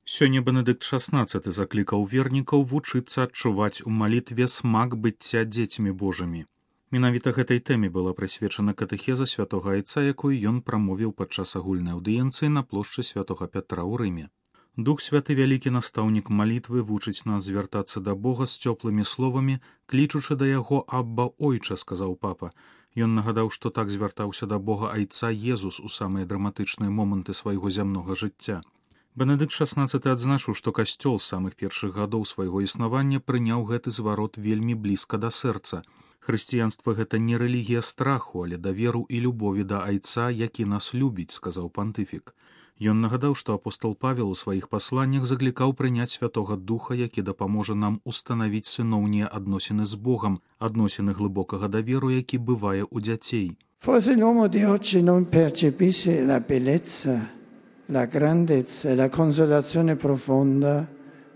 Сёння Бенедыкт XVI заклікаў вернікаў вучыцца адчуваць у малітве смак быцця дзецьмі Божымі. Менавіта гэтай тэме была прысвечана катэхеза святога Айца, якую ён прамовіў падчас агульнай аўдыенцыі на плошчы святога Пятра ў Рыме. Дух Святы, вялікі настаўнік малітвы, вучыць нас звяртацца да Бога з цёплымі словамі, клічучы да яго «Абба, Ойча», сказаў папа. Ён нагадаў, што так звяртаўся да Бога Айца Езус у самыя драматычныя моманты свайго зямнога жыцця. Бенедыкт XVI адзначыў, што касцёл з самых першых гадоў свайго існавання прыняў гэты зварот вельмі блізка да сэрца. Хрысціянства — гэта не рэлігія страху, але даверу і любові да Айца, які нас любіць, сказаў пантыфік. Ён нагадаў, што апостол Павел у сваіх пасланнях заклікаў прыняць Святога Духа, які дапаможа нам устанавіць сыноўнія адносіны з Богам, адносіны глыбокага даверу, які бывае ў дзяцей. Forse l'uomo di oggi non percepisce la bellezza, la grandezza e la consolazione profonda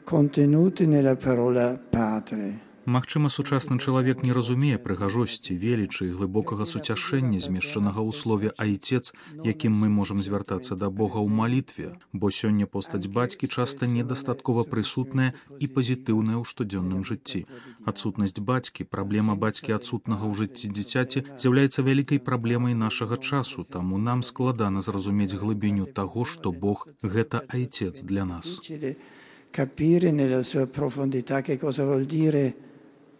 contenuti nella parola Padre. Магчыма, сучасны чалавек не разумее прыгажосці, велічы і глыбокага суцяшэння, змешчанага ў слове «Айцец», якім мы можам звяртацца да Бога ў малітве, бо сёння постаць бацькі часта недастаткова прысутная і пазітыўная ў штодзённым жыцці. Адсутнасць бацькі, праблема бацькі адсутнага ў жыцці дзіцяці з'яўляецца вялікай праблемай нашага часу, таму нам складана зразумець глыбіню таго, што Бог — гэта Айцец для нас. Capire nella sua profondità che cosa vuol dire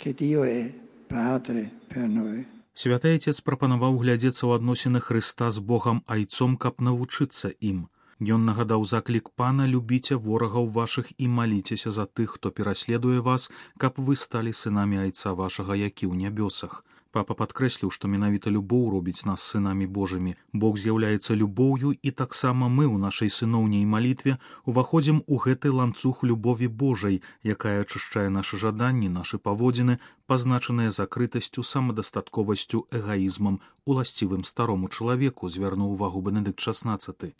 che Dio è Padre per noi. Святы Айцец прапанаваў глядзецца ў адносіны Хрыста з Богам Айцом, каб навучыцца ім. Ён нагадаў заклік Пана: «Любіце ворагаў вашых і маліцеся за тых, хто пераследуе вас, каб вы сталі сынамі Айца вашага, які ў нябёсах». Папа падкрэсліў, што менавіта любоў робіць нас сынамі Божымі. Бог з'яўляецца любоўю, і таксама мы ў нашай сыноўняй малітве уваходзім у гэты ланцуг любові Божай, якая ачышчае нашы жаданні, нашы паводзіны, пазначаныя закрытасцю, самадастатковасцю, эгаізмам, уласцівым старому чалавеку, звярнуў увагу Бенедыкт XVI.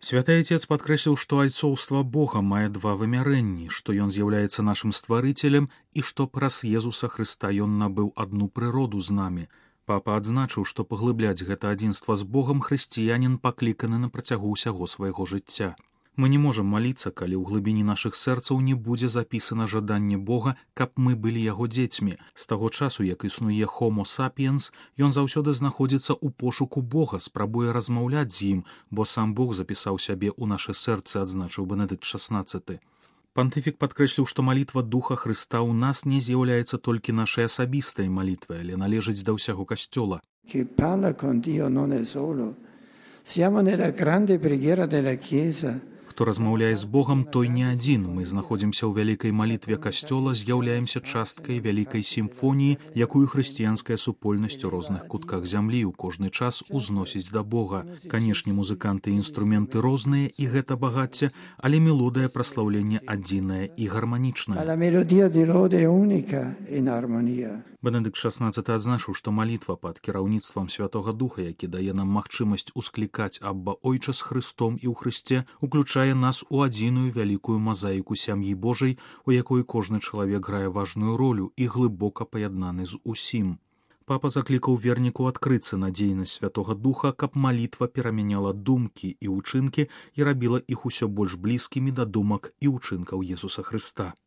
Святы Айцец падкрэсліў, што айцоўства Бога мае два вымярэнні, што ён з'яўляецца нашым стварыцелем і што праз Езуса Хрыста ён набыў адну прыроду з намі. Папа адзначыў, што паглыбляць гэта адзінства з Богам хрысціянін пакліканы на працягу ўсяго свайго жыцця. Мы не можам маліцца, калі ў глыбіні нашых сэрцаў не будзе запісана жаданне Бога, каб мы былі яго дзецьмі. З таго часу, як існуе Homo sapiens, ён заўсёды знаходзіцца ў пошуку Бога, спрабуе размаўляць з ім, бо сам Бог запісаў сябе ў нашы сэрцы, адзначыў Бенедыкт XVI. Пантыфік падкрэсліў, што малітва Духа Хрыста ў нас не з'яўляецца толькі нашай асабістай малітвай, але належыць да ўсяго касцёла. Chi parla con Dio non è solo. Siamo nella grande preghiera della Chiesa. Хто размаўляе з Богам, той не адзін. Мы знаходзімся ў вялікай малітве касцёла, з'яўляемся часткай вялікай сімфоніі, якую хрысціянская супольнасць у розных кутках зямлі ў кожны час узносіць да Бога. Канешне, музыканты і інструменты розныя, і гэта багацце, але мелодыя праслаўлення адзіная і гарманічная. La melodia di lode è unica in armonia. Бенедыкт XVI адзначыў, што малітва пад кіраўніцтвам Святога Духа, які дае нам магчымасць усклікаць «Абба, Ойча» з Хрыстом і ў Хрысце, уключае нас у адзіную вялікую мазаіку сям'і Божай, у якой кожны чалавек грае важную ролю і глыбока паяднаны з усім. Папа заклікаў верніку адкрыцца на дзейнасць Святога Духа, каб малітва перамяняла думкі і ўчынкі і рабіла іх усё больш блізкімі да думак і ўчынкаў Езуса Хрыста.